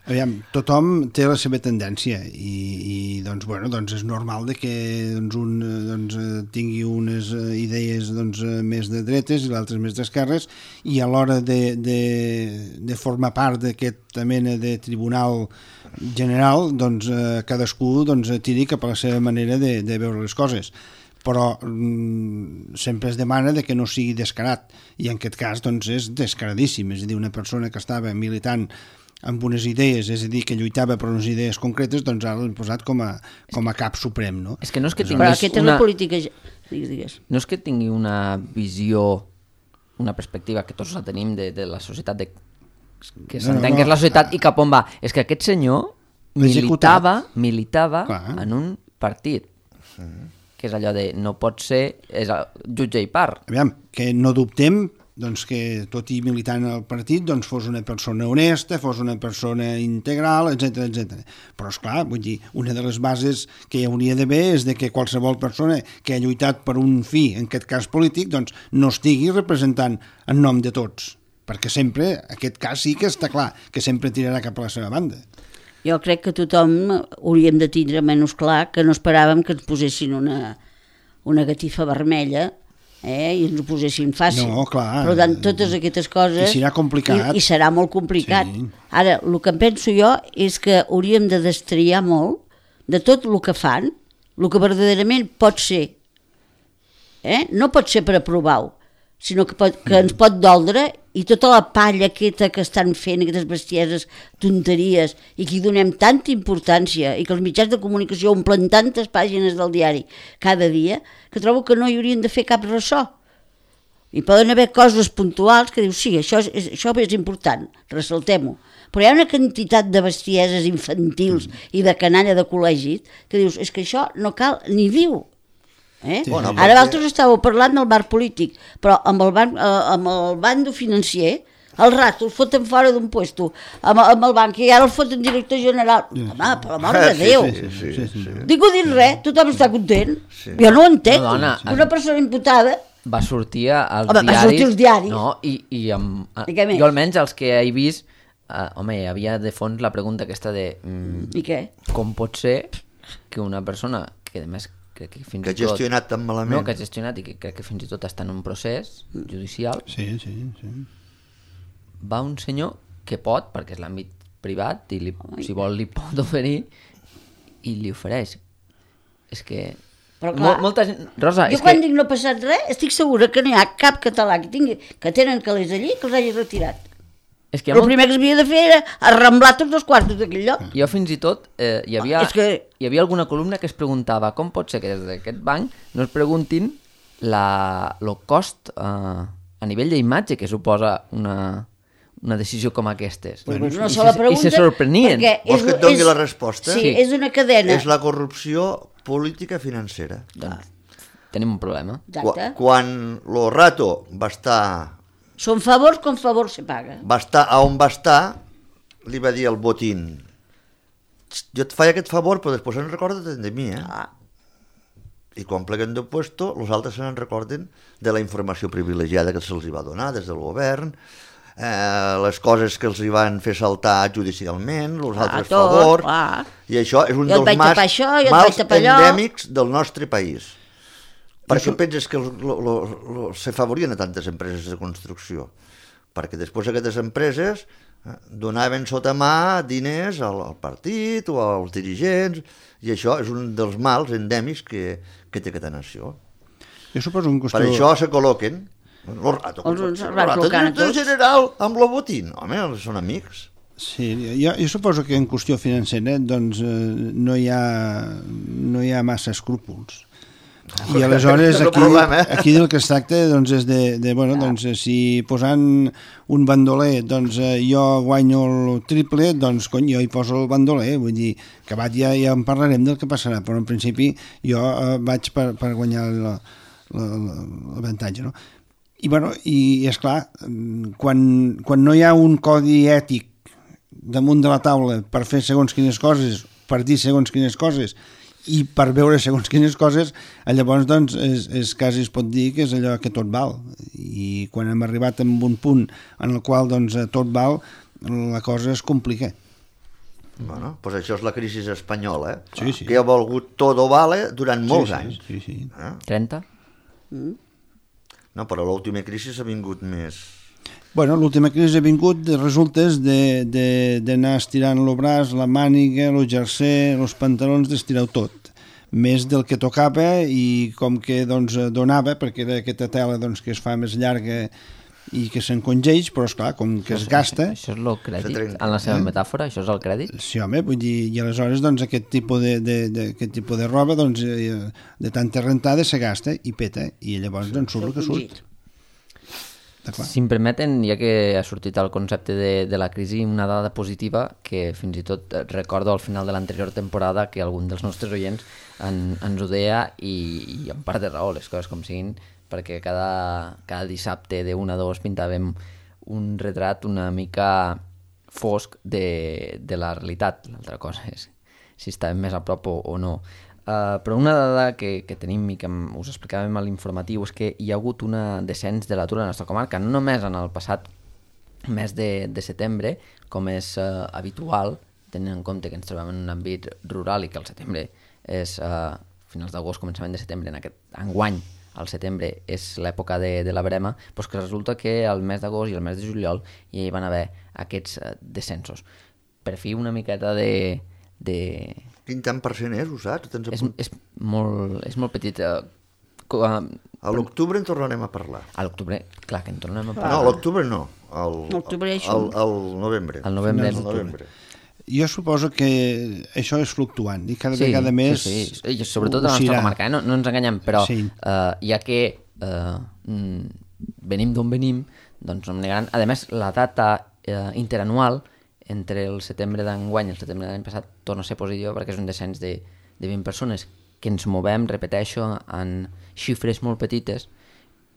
Aviam, tothom té la seva tendència i doncs, bueno, doncs és normal de que un tingui unes idees més de dretes i l'altre més d'esquerres, i a l'hora de formar part d'aquesta mena de tribunal general, doncs cadascú tiri cap a la seva manera de veure les coses. Però sempre es demana que no sigui descarat, i en aquest cas és descaradíssim. És a dir, una persona que estava militant amb unes idees, és a dir, que lluitava per unes idees concretes, doncs ara l'han posat com a cap suprem, no? És que no és que tinguis però aquesta és la política... Digues. No és que tingui una visió, una perspectiva, que tots la tenim de la societat, que s'entén que és la societat i cap on va. És que aquest senyor militava en un partit, que és allò de no pot ser, és jutge i part. Aviam, que no dubtem doncs, que tot i militant al partit doncs, fos una persona honesta, fos una persona integral, etc. Però, esclar, vull dir, una de les bases que hi hauria d'haver és de que qualsevol persona que ha lluitat per un fi, en aquest cas polític, doncs, no estigui representant en nom de tots, perquè sempre, aquest cas sí que està clar, que sempre tirarà cap a la seva banda. Jo crec que tothom hauríem de tindre menys clar que no esperàvem que ens posessin una gatifa vermella i ens ho posessin fàcil. No, clar. Per tant, totes aquestes coses... I serà complicat. I serà molt complicat. Sí. Ara, el que penso jo és que hauríem de destriar molt de tot el que fan, el que verdaderament pot ser. No pot ser per aprovar-ho, sinó que ens pot doldre, i tota la palla aquesta que estan fent, aquestes bestieses, tonteries, i que hi donem tanta importància, i que els mitjans de comunicació omplen tantes pàgines del diari cada dia, que trobo que no hi haurien de fer cap ressò. I poden haver coses puntuals que dius, sí, això és important, ressaltem-ho. Però hi ha una quantitat de bestieses infantils i de canalla de col·legi que dius, és que això no cal ni dir-ho. Sí. Ara vosaltres estàveu parlant del marc polític, però amb el bando financer el rato el foten fora d'un puesto amb el banc, i ara el foten director general. Home, per l'amor de Déu. Sí. Dic-ho dir res, tothom està content. Jo no ho entenc. Una persona imputada va sortir als diaris. Va sortir als diaris. No, jo almenys els que he vist, home, hi havia de fons la pregunta aquesta de i què? Com pot ser que una persona que a més que ha gestionat tan malament. No, que ha gestionat i que crec que fins i tot està en un procés judicial. Sí. Va un senyor que pot, perquè és l'àmbit privat, i si vol li pot oferir, i li ofereix. És que... Però clar, molta gent... Rosa, jo quan dic no ha passat res, estic segura que no hi ha cap català que tenen calés allí que els hagi retirat. És que el primer que s'havia de fer era arramblar tots els quartos d'aquell lloc. Jo fins i tot hi havia alguna columna que es preguntava com pot ser que des d'aquest banc no es preguntin el cost a nivell d'imatge que suposa una decisió com aquestes. I se sorprenien. Vols que et doni la resposta? Sí, és una cadena. És la corrupció política financera. Doncs tenim un problema. Quan lo rato va estar... Són favors com favor se paga. Va estar on va estar, li va dir al Botín, jo et faig aquest favor, però després se'n recorden de mi, I quan pleguen de puesto, els altres se'n recorden de la informació privilegiada que se'ls va donar des del govern, les coses que els hi van fer saltar judicialment, els altres favors, i això és un dels mals endèmics del nostre país. Per què penses que s'afavorien a tantes empreses de construcció? Perquè després aquestes empreses donaven sota mà diners al partit o als dirigents, i això és un dels mals endèmics que té aquesta nació. Jo suposo que per això se col·loquen el general amb el Botín. Home, són amics. Sí, jo suposo que en qüestió financera doncs, no hi ha massa escrúpols. I aleshores aquí del que es tracta doncs, és doncs, si posant un bandoler doncs, jo guanyo el triple, doncs cony, jo hi poso el bandoler, vull dir, que ja en parlarem del que passarà, però en principi jo vaig per guanyar l'avantatge, no? I esclar, quan no hi ha un codi ètic damunt de la taula per fer segons quines coses, per dir segons quines coses, i per veure segons quines coses, llavors doncs, quasi es pot dir que és allò que tot val. I quan hem arribat a un punt en el qual doncs, tot val, la cosa es complica. Bueno, doncs això és la crisi espanyola, Sí. Que ha volgut todo vale durant molts anys. Sí. 30? No, però l'última crisi ha vingut més... Bueno, l'última crisi ha vingut de resultes d'anar estirant el braç, la màniga, el jersei, els pantalons, d'estirar-ho tot. Més del que tocava i com que doncs, donava, perquè era aquesta tela doncs, que es fa més llarga i que s'encongeix, però esclar, com que es gasta... Això és el crèdit, en la seva metàfora, això és el crèdit? Sí, home, vull dir, i aleshores doncs, aquest tipus de roba doncs, de tanta rentada se gasta i peta, i llavors doncs, surt el que surt. Si em permeten, ja que ha sortit el concepte de la crisi, una dada positiva que fins i tot recordo al final de l'anterior temporada que algun dels nostres oients ens ho deia i en part de raó, les coses com siguin, perquè cada dissabte de 1 a 2 pintàvem un retrat una mica fosc de la realitat. L'altra cosa és si estàvem més a prop o no. Però una dada que tenim i que us explicàvem a l'informatiu és que hi ha hagut un descens de l'atur a la nostra comarca, no només en el passat mes de setembre, com és habitual, tenint en compte que ens trobem en un àmbit rural i que el setembre és finals d'agost, començament de setembre, en aquest enguany, al setembre és l'època de la verema, doncs que resulta que el mes d'agost i el mes de juliol hi van haver aquests descensos. Per fi una miqueta de... Quin tant per cent és, ho saps? És molt petit. A l'octubre en tornarem a parlar. A l'octubre, clar que en tornarem a parlar. No, a l'octubre no, al novembre. Al novembre. Jo suposo que això és fluctuant i cada vegada més... Sí. Sobretot a la nostra comarca, no ens enganyem, però ja que venim d'on venim, doncs no em negaran. A més, la data interanual entre el setembre d'enguany i el setembre de l'any passat torna a ser positiva perquè és un descens de 20 persones que ens movem, repeteixo, en xifres molt petites,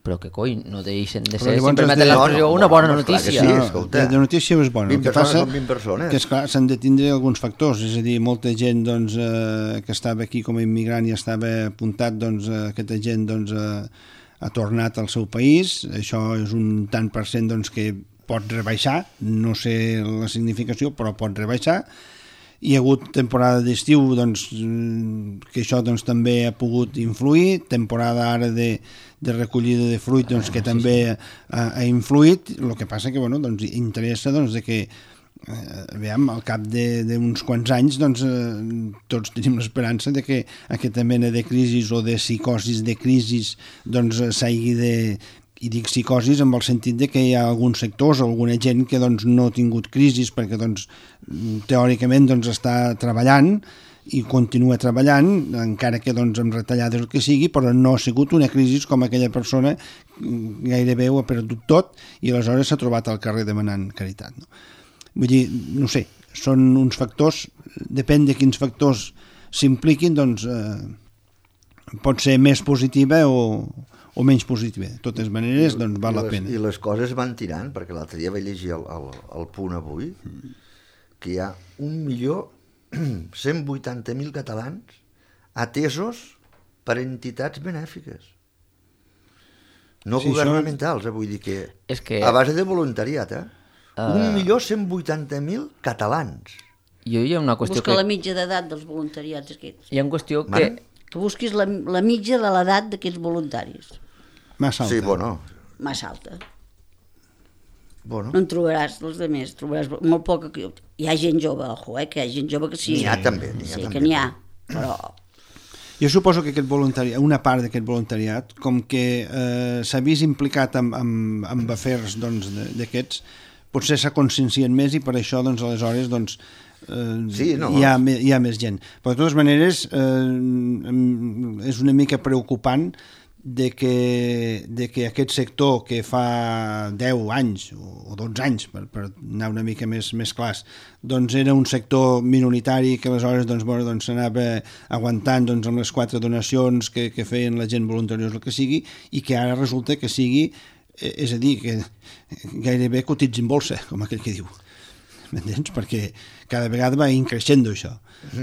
però que no deixen de ser, si em permeten l'expressió, una bona notícia. La notícia és bona. 20 persones són 20 persones. Que esclar, s'han de tindre alguns factors, és a dir, molta gent doncs, que estava aquí com a immigrant i estava apuntat, doncs, aquesta gent doncs, ha tornat al seu país, això és un tant per cent doncs, que pot rebaixar, no sé la significació, però pot rebaixar. Hi ha hagut temporada d'estiu doncs, que això doncs, també ha pogut influir, temporada ara de recollida de fruit doncs, que també ha influït, el que passa que bueno, doncs, interessa doncs, de que al cap d'uns quants anys doncs, tots tenim l'esperança de que aquesta mena de crisis o de psicosis de crisis doncs, s'hagi de... I dic psicosis en el sentit de que hi ha alguns sectors o alguna gent que doncs, no ha tingut crisis perquè doncs, teòricament doncs, està treballant i continua treballant, encara que doncs, amb retallades el que sigui, però no ha sigut una crisi com aquella persona gairebé ho ha perdut tot i aleshores s'ha trobat al carrer demanant caritat. No? Vull dir, no sé, són uns factors, depèn de quins factors s'impliquin, doncs pot ser més positiva o menys positiva. De totes maneres, doncs val la pena. I les coses van tirant, perquè l'altre dia vaig llegir el Punt avui, que hi ha 1.180.000 catalans atesos per entitats benèfiques. No governamentals, vull dir que a base de voluntariat, 1.180.000 catalans. Hi ha una qüestió Busca la mitja d'edat dels voluntariats aquests. Hi ha una qüestió que... Que busquis la mitja de l'edat d'aquests voluntaris. Massa alta. Sí, bueno. Massa alta. Bueno. No en trobaràs els altres, trobaràs molt poc. Hi ha gent jove, ojo, que hi ha gent jove que sí. N'hi ha també. Sí, que n'hi ha, però... Jo suposo que aquest voluntariat, una part d'aquest voluntariat, com que s'ha vist implicat en afers d'aquests, potser s'ha conscienciat més i per això, doncs, aleshores, doncs, hi ha més gent. Però de totes maneres, és una mica preocupant de que aquest sector que fa 10 anys o 12 anys, per anar una mica més clars, doncs era un sector minoritari que aleshores s'anava aguantant amb les 4 donacions que feien la gent voluntariosa, el que sigui, i que ara resulta que sigui, és a dir, que gairebé cotitza en bolsa, com aquell que diu. M'entens? Perquè cada vegada va increixent això.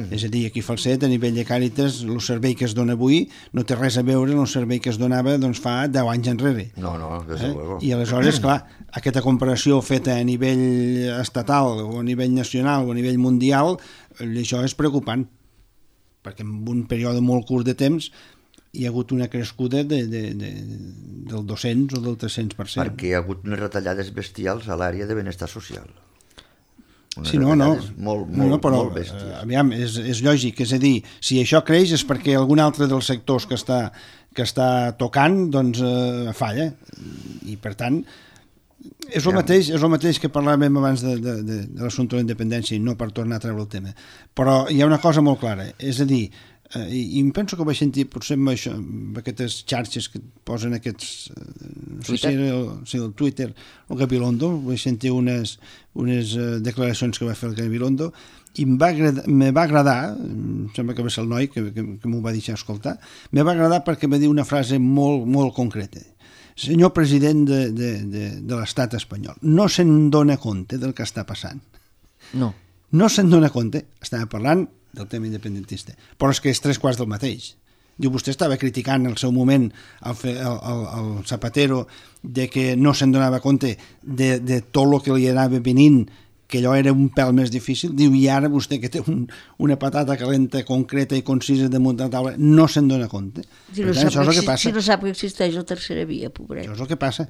És a dir, aquí a Falset, a nivell de Càritas, el servei que es dona avui no té res a veure amb el servei que es donava fa 10 anys enrere. No, desde luego. I aleshores, clar, aquesta comparació feta a nivell estatal o a nivell nacional o a nivell mundial, això és preocupant, perquè en un període molt curt de temps hi ha hagut una crescuda del 200 o del 300%. Perquè hi ha hagut unes retallades bestials a l'àrea de benestar social. Sí, no, però aviam, és lògic, és a dir, si això creix és perquè algun altre dels sectors que està tocant doncs falla, i per tant és el mateix que parlàvem abans de l'assumpte de la independència, i no per tornar a treure el tema, però hi ha una cosa molt clara, és a dir, i em penso que ho vaig sentir potser amb aquestes xarxes que posen aquests el Twitter, el Gabilondo, vaig sentir unes declaracions que va fer el Gabilondo i me va agradar, em sembla que va ser el noi que m'ho va deixar escoltar, me va agradar perquè va dir una frase molt, molt concreta. Senyor president de l'estat espanyol, no se'n dona compte del que està passant. No se'n dona compte, estava parlant del tema independentista, però és que és 3/4 del mateix. Diu, vostè estava criticant en el seu moment el Zapatero de que no se'n donava compte de tot el que li anava venint, que allò era un pèl més difícil. Diu, i ara vostè que té una patata calenta, concreta i concisa damunt de la taula, no se'n dona compte. Si no sap que existeix la tercera via, pobret. Això és el que passa.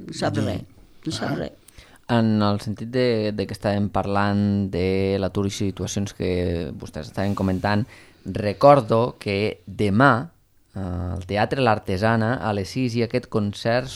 No sap res. En el sentit de que estàvem parlant de l'atur i situacions que vostès estaven comentant, recordo que demà al Teatre l'Artesana a les 6 hi ha aquest concert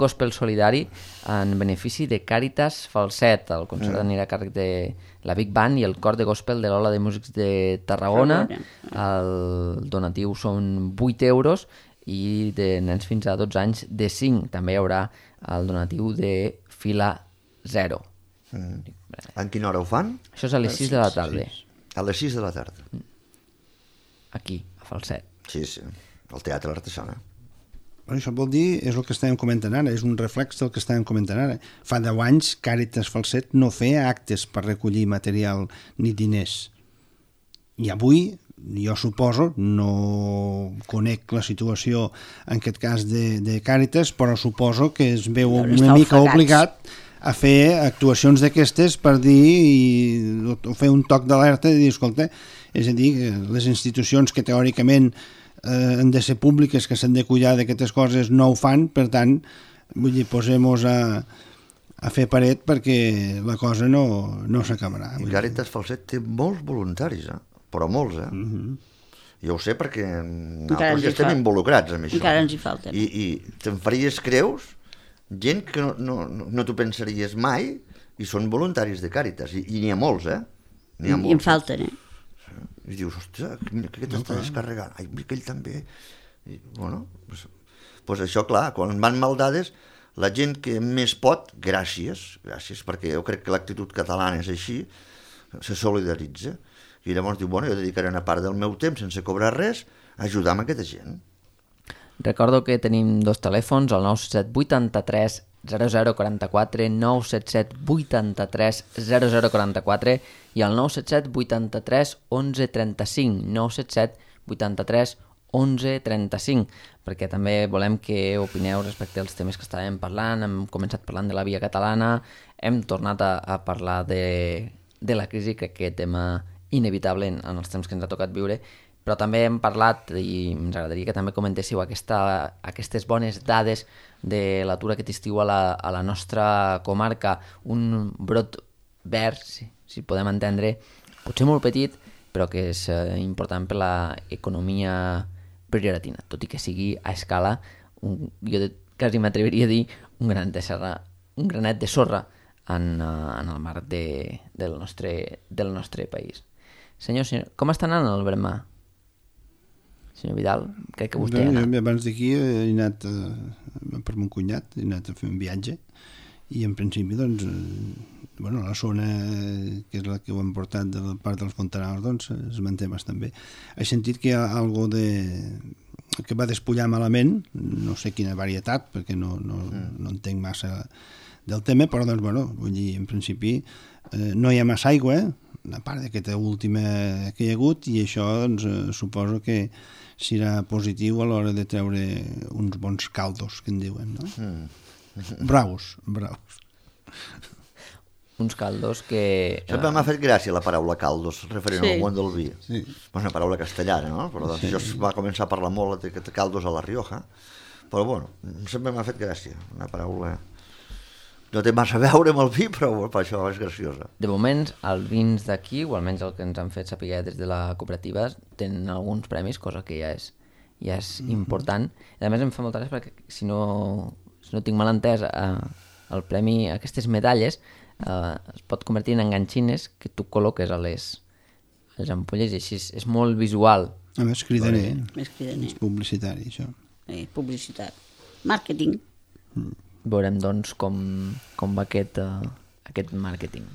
gospel solidari en benefici de Càritas Falset. El concert anirà a càrrec de la Big Band i el cor de gospel de l'Ola de Músics de Tarragona. El donatiu són 8 euros i de nens fins a 12 anys de 5. També hi haurà el donatiu de fila 0. En quina hora ho fan? Això és a les 6 de la tarda. A les 6 de la tarda. Aquí, a Falset. Sí, al Teatre l'Artesana. Això vol dir, és el que estàvem comentant ara, és un reflex del que estàvem comentant ara. Fa 10 anys Càritas Falset no feia actes per recollir material ni diners. I avui, jo suposo, no conec la situació en aquest cas de Càritas, però suposo que es veu una mica obligat a fer actuacions d'aquestes per dir, o fer un toc d'alerta i dir, escolta, és a dir, les institucions que teòricament han de ser públiques, que s'han de cuidar d'aquestes coses, no ho fan, per tant, vull dir, posem-nos a fer paret perquè la cosa no s'acabarà. I Càritas Falset té molts voluntaris, però molts, Jo ho sé perquè nosaltres ja estem involucrats amb això. Encara ens hi falten. I te'n faries creus gent que no t'ho pensaries mai i són voluntaris de Càritas, i n'hi ha molts, I en falten, I dius, hòstia, aquest està descarregant, ai, aquell també. I, bueno, doncs això, clar, quan van maldades, la gent que més pot, gràcies, perquè jo crec que l'actitud catalana és així, se solidaritza, i llavors diu, bueno, jo dedicaré una part del meu temps sense cobrar res a ajudar amb aquesta gent. Recordo que tenim 2 telèfons, el 977 83 0044, 977 83 0044 i el 977 83 11 35, 977 83 11 35, perquè també volem que opineu respecte als temes que estàvem parlant. Hem començat parlant de la via catalana, hem tornat a parlar de la crisi, crec que tema inevitable en els temps que ens ha tocat viure, però també hem parlat, i ens agradaria que també comentéssiu aquestes bones dades de l'atur aquest estiu a la nostra comarca, un brot verd, si podem entendre, potser molt petit, però que és important per l'economia prioratina, tot i que sigui a escala, jo quasi m'atreviria a dir un granet de sorra en el mar del nostre país. Senyor, com està anant el Bermà? Senyor Vidal, crec que vostè ha anat. Abans d'aquí he anat per mon cunyat, he anat a fer un viatge i en principi, doncs, la zona que és la que ho hem portat de la part dels Fontanals, doncs, es manté bastant bé. He sentit que hi ha algo que va despullar malament, no sé quina varietat, perquè no entenc massa del tema, però, doncs, vull dir, en principi no hi ha massa aigua, a part d'aquesta última que hi ha hagut, i això, doncs, suposo que serà positiu a l'hora de treure uns bons caldos, que en diuen, no? Braus. Uns caldos que... Sempre m'ha fet gràcia la paraula caldos, referent al món del vi. Sí. És una paraula castellana, no? Però doncs jo va començar a parlar molt de caldos a la Rioja, però sempre m'ha fet gràcia, una paraula... No té massa a veure amb el vi, però per això és graciosa. De moment, els vins d'aquí, o almenys el que ens han fet saber des de la cooperativa, tenen alguns premis, cosa que ja és important. I a més em fa molta gràcia perquè si no tinc mal entès, el premi, aquestes medalles, es pot convertir en enganxines que tu col·loques a les ampolles i així és molt visual. A més, cridaner. És publicitari, això. Publicitat. Màrqueting. Veurem, doncs, com va aquest màrqueting.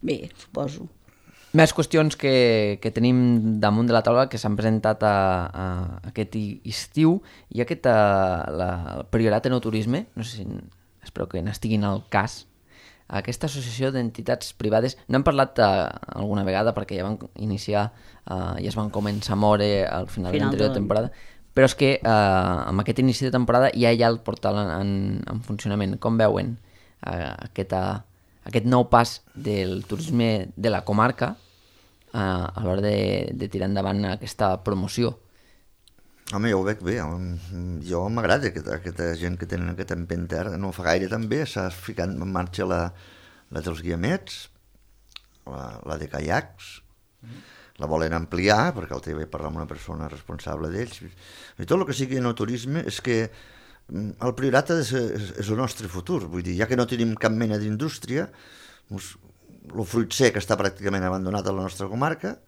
Bé, suposo. Més qüestions que tenim damunt de la taula que s'han presentat aquest estiu i el Priorat Enoturisme, no sé si espero que n'estiguin al cas, aquesta associació d'entitats privades, n'hem parlat alguna vegada perquè ja van iniciar, ja es van començar a moure al final de l'anterior temporada, però és que amb aquest inici de temporada ja hi ha el portal en funcionament. Com veuen aquest nou pas del turisme de la comarca a l'hora de tirar endavant aquesta promoció? Home, jo ho veig bé. Jo m'agrada aquesta gent que tenen aquesta empenta. No fa gaire també s'ha ficat en marxa la dels guiamets, la de caiacs, la volen ampliar, perquè el TV parla amb una persona responsable d'ells. I tot el que sigui enoturisme és que el Priorat és el nostre futur. Vull dir, ja que no tenim cap mena d'indústria, el fruit sec està pràcticament abandonat a la nostra comarca.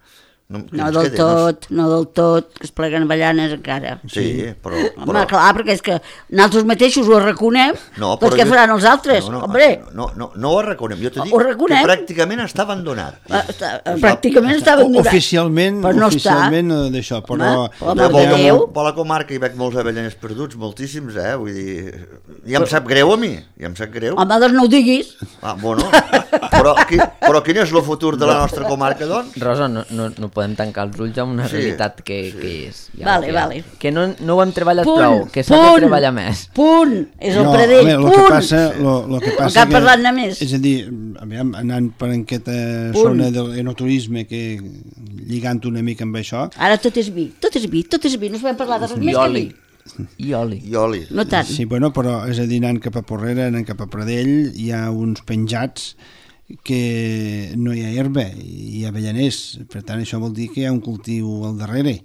No del tot, que es pleguen avellanes encara. Sí, però... Home, clar, perquè és que nosaltres mateixos ho arraconem, doncs què faran els altres? No ho arraconem, jo t'ho dic que pràcticament està abandonat. Pràcticament està abandonat. Oficialment d'això, però... Per la comarca hi veig molts avellaners perduts, moltíssims, vull dir... Ja em sap greu a mi, Home, doncs no ho diguis. Però quin és el futur de la nostra comarca, doncs? Rosa, no podem tancar els ulls amb una realitat que és. Vale. Que no ho hem treballat prou, que s'ha de treballar més. Punt! És el Pradell, punt! El que passa que parlant de més. És a dir, anant per aquesta zona del enoturisme, lligant una mica amb això... Ara tot és vi, no sabem parlar de res més que vi. I oli. No tant. Sí, però és a dir, anant cap a Porrera, anant cap a Pradell, hi ha uns penjats que no hi ha herba, hi ha avellaners, per tant això vol dir que hi ha un cultiu al darrere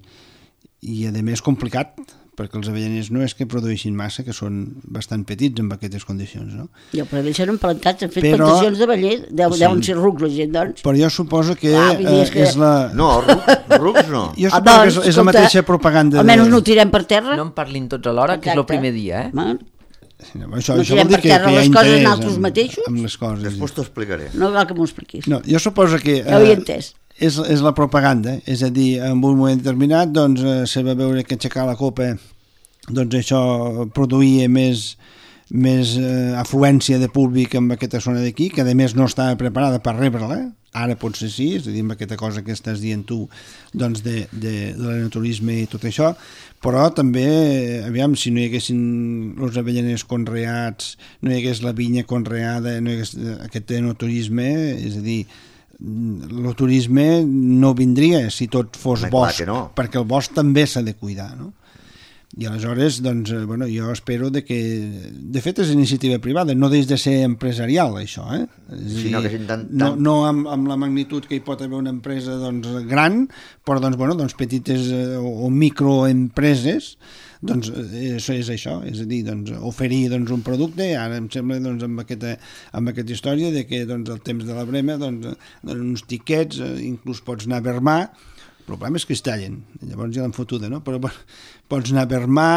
i a més complicat, perquè els avellaners no és que produeixin massa, que són bastant petits en aquestes condicions, no? Jo, però ells s'han plantats, han fet plantacions d'aveller, deuen ser rucs la gent, doncs. Però jo suposo que és la... No, rucs no. Jo suposo que és la mateixa propaganda. Almenys no ho tirem per terra. No en parlin tots alhora, que és el primer dia, Això vol dir que hi ha interès amb les coses. Després t'ho explicaré. No cal que m'ho expliquis. No, jo suposo que ja ho he entès. És la propaganda, és a dir, en un moment determinat doncs se va veure que aixecar la copa doncs això produïa més afluència de públic en aquesta zona d'aquí, que a més no estava preparada per rebre-la. Ara potser sí, és a dir, amb aquesta cosa que estàs dient tu, doncs de l'enoturisme i tot això, però també, aviam, si no hi haguessin els avellaners conreats, no hi hagués la vinya conreada, no hi hagués aquest enoturisme, és a dir, el turisme no vindria si tot fos bosc, perquè el bosc també s'ha de cuidar, no? I aleshores, doncs, bueno, jo espero que... De fet, és iniciativa privada, no deix de ser empresarial, això, eh? Sí, no amb la magnitud que hi pot haver una empresa doncs, gran, però doncs, bueno, doncs, petites o microempreses, doncs això és això, és a dir, doncs, oferir doncs, un producte. Ara em sembla doncs, amb aquesta història de que doncs, el temps de la brema doncs, uns tiquets, inclús pots anar a Vermà. El problema és que es tallen, llavors ja l'han fotuda, no? Però pots anar a Vermà,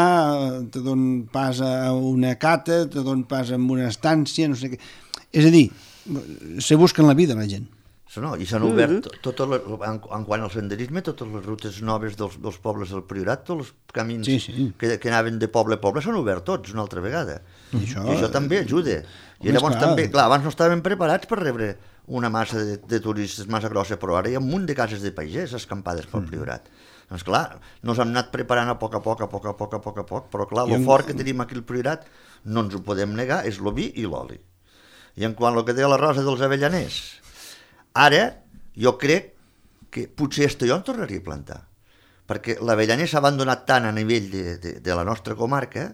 te donen pas a una cata, te donen pas a una estància, no sé què. És a dir, se busquen la vida la gent. No, i s'han obert, en quant al senderisme, totes les rutes noves dels pobles del Priorat, tots els camins que anaven de poble a poble s'han obert tots una altra vegada. I això també ajuda. I llavors també, clar, abans no estàvem preparats per rebre una massa de turistes massa grossa, però ara hi ha un munt de cases de pagès escampades pel Priorat. Doncs clar, nos hem anat preparant a poc a poc, però clar, el fort que tenim aquí al Priorat, no ens ho podem negar, és el vi i l'oli. I en quant al que deia la Rosa dels avellaners, ara jo crec que potser jo en tornaria a plantar, perquè l'avellaner s'ha abandonat tant a nivell de la nostra comarca.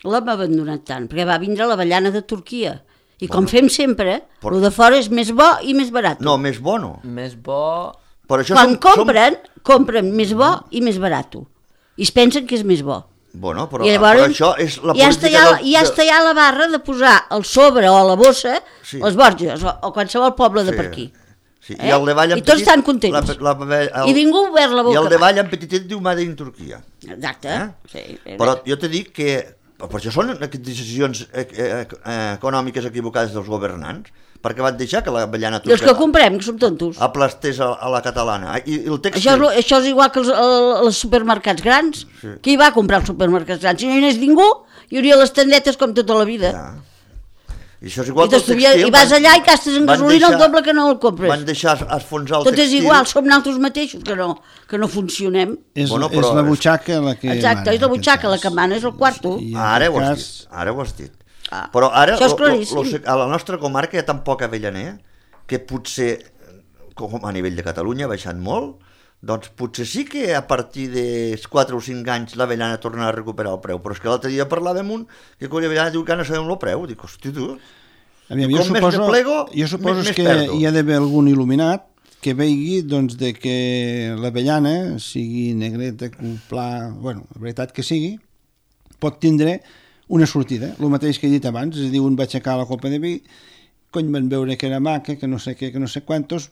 L'hem abandonat tant, perquè va vindre l'avellana de Turquia. I com fem sempre, el de fora és més bo i més barat. No, més bo no. Més bo... Quan compren més bo i més barat. I es pensen que és més bo. Bueno, però això és la política... Ja està ja la barra de posar al sobre o a la bossa les Borges o qualsevol poble de per aquí. Sí. I el de Vall en petit... I tots estan contents. I ningú ha obert la boca. I el de Vall en petitet diu Made in Turquia. Exacte. Sí, però jo te dic que... Per això són decisions econòmiques equivocades dels governants, perquè van deixar que l'avellana turca... I els que comprem, que som tontos. Aplastés a la catalana. I el tèxtil... Això és igual que els supermercats grans. Sí. Qui va comprar els supermercats grans? Si no hi anés ningú, hi hauria les tendetes com tota la vida. Ja. I això és igual que el tèxtil. I vas allà i gastes en gasolina el doble que no el compres. Van deixar esfonsar el tèxtil. Tot és igual, som nosaltres mateixos que no funcionem. És la butxaca la que Exacte, és la butxaca la que mana, és el quarto. Ara ho has dit. Però ara a la nostra comarca hi ha tan poc avellaner que potser, com a nivell de Catalunya ha baixat molt, doncs potser sí que a partir de 4 o 5 anys l'avellana tornarà a recuperar el preu, però és que l'altre dia parlàvem un que quan l'avellana diu que no sabem el preu, dic, hosti tu, jo suposo que hi ha d'haver algun il·luminat que vegi doncs, de que l'avellana, sigui negreta, cuplà, bueno, la veritat que sigui, pot tindre una sortida, el mateix que he dit abans, és a dir, un va aixecar la copa de vi, cony, van veure que era maca, que no sé què, que no sé quantos,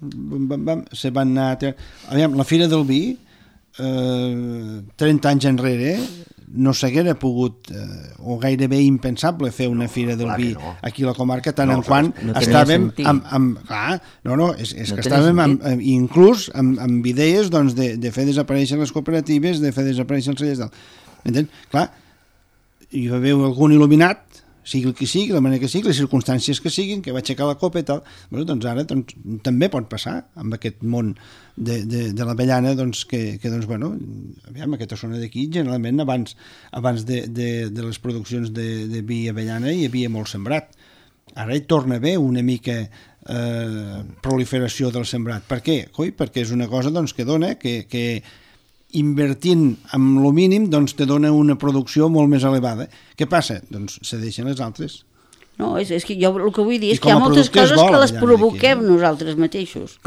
se van anar... Aviam, la Fira del Vi, 30 anys enrere, no s'haguera pogut, o gairebé impensable, fer una Fira del Vi aquí a la comarca, tant en quant estàvem inclús amb idees de fer desaparèixer les cooperatives, de fer desaparèixer els cellers d'alt. Clar, hi va haver algun il·luminat, sigui el que sigui, la manera que sigui, les circumstàncies que siguin, que va aixecar la copa i tal. Bueno, doncs ara també pot passar amb aquest món de l'avellana, doncs, que doncs, bueno, aviam, aquesta zona d'aquí, generalment abans de les produccions de vi i avellana hi havia molt sembrat. Ara hi torna a haver una mica proliferació del sembrat. Per què? Perquè és una cosa doncs, que dona que invertint amb el mínim doncs te dona una producció molt més elevada. Què passa? Doncs se deixen les altres. No, és que jo el que vull dir és que hi ha moltes coses que les provoquem nosaltres mateixos.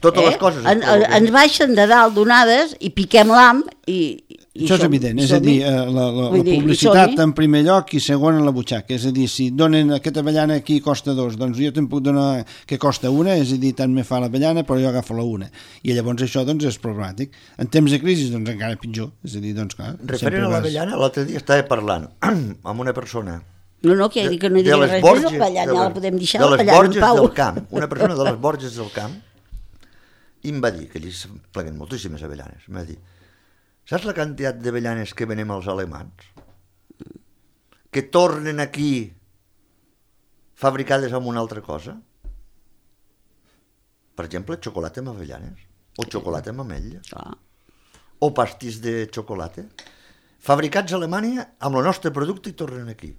Totes les coses. Ens baixen de dalt donades i piquem l'ham i això és evident, és a dir, la publicitat en primer lloc i segon en la butxaca, és a dir, si donen aquesta avellana aquí costa 2, doncs jo te'n puc donar que costa 1, és a dir, tant me fa l'avellana però jo agafo la 1, i llavors això doncs és problemàtic. En temps de crisi doncs encara pitjor, és a dir, doncs clar... Referent a l'avellana, l'altre dia estava parlant amb una persona... No, que no hi digui res més, l'avellana la podem deixar l'avellana en pau. Una persona de les Borges del Camp, i em va dir, que allí es pleguen moltíssimes avellanes, em va dir: saps la quantitat d'avellanes que venem als alemans? que tornen aquí fabricades amb una altra cosa? Per exemple, xocolata amb avellanes, o xocolata amb ametlla, o pastís de xocolata, fabricats a Alemanya amb el nostre producte i tornen aquí.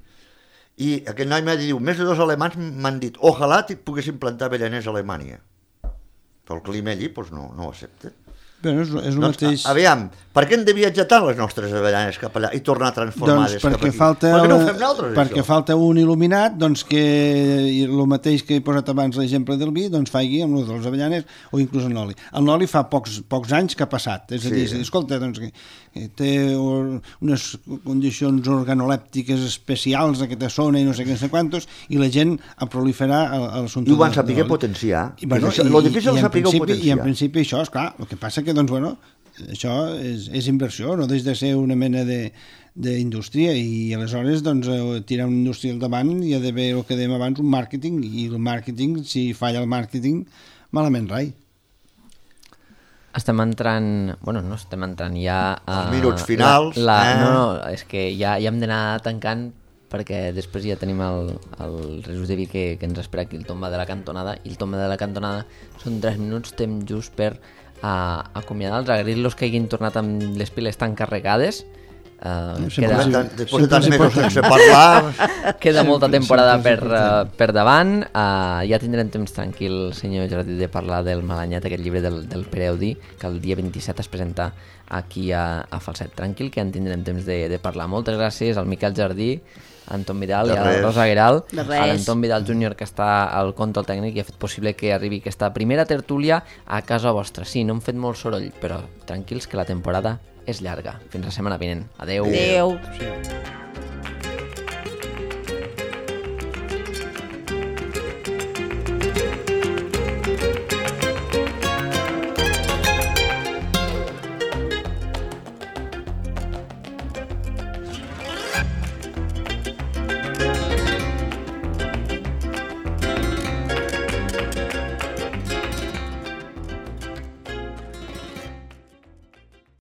I aquest noi m'ha dit, més de 2 alemanys m'han dit, ojalà poguessin plantar avellaners a Alemanya. Però el clima allí no ho accepta. Però és el mateix... Aviam, per què hem de viatjar tant les nostres avellanes cap allà i tornar transformades cap aquí? Per què no ho fem nosaltres, perquè això? falta un il·luminat, doncs que el mateix que he posat abans l'exemple del vi, doncs faci amb els dels avellanes o inclús el noli. El noli fa pocs anys que ha passat, és a dir, escolta, doncs que té unes condicions organolèptiques especials aquesta zona i no sé què, no sé quantos, i la gent a proliferar el I ho van saber potenciar. Lo difícil és saber potenciar. I en principi això, esclar, el que passa que doncs, bueno, això és inversió, no deixa de ser una mena d'indústria i aleshores doncs, tirar una indústria al davant hi ha d'haver el que dèiem abans, un màrqueting, i el màrqueting, si falla el màrqueting, malament rai. Estem entrant... Bueno, no estem entrant ja... Els minuts finals. No, és que ja hem d'anar tancant perquè després ja tenim el resum de vi que ens espera aquí, el tomba de la cantonada, i el tomba de la cantonada són 3 minuts, temps just per acomiadar-los, agrair-los que hagin tornat amb les piles tan carregades. Després de tants mesos sense parlar... Queda molta temporada per davant. Ja tindrem temps tranquil, senyor Jardí, de parlar del Malanyet, aquest llibre del Pere Audí, que el dia 27 es presenta aquí a Falset. Tranquil, que en tindrem temps de parlar. Moltes gràcies al Miquel Jardí, a Anton Vidal i a la Rosa Gueral, a l'Anton Vidal Júnior, que està al control tècnic i ha fet possible que arribi aquesta primera tertúlia a casa vostra. Sí, no hem fet molt soroll, però tranquils que la temporada és llarga. Fins la setmana vinent. Adeu. Adeu.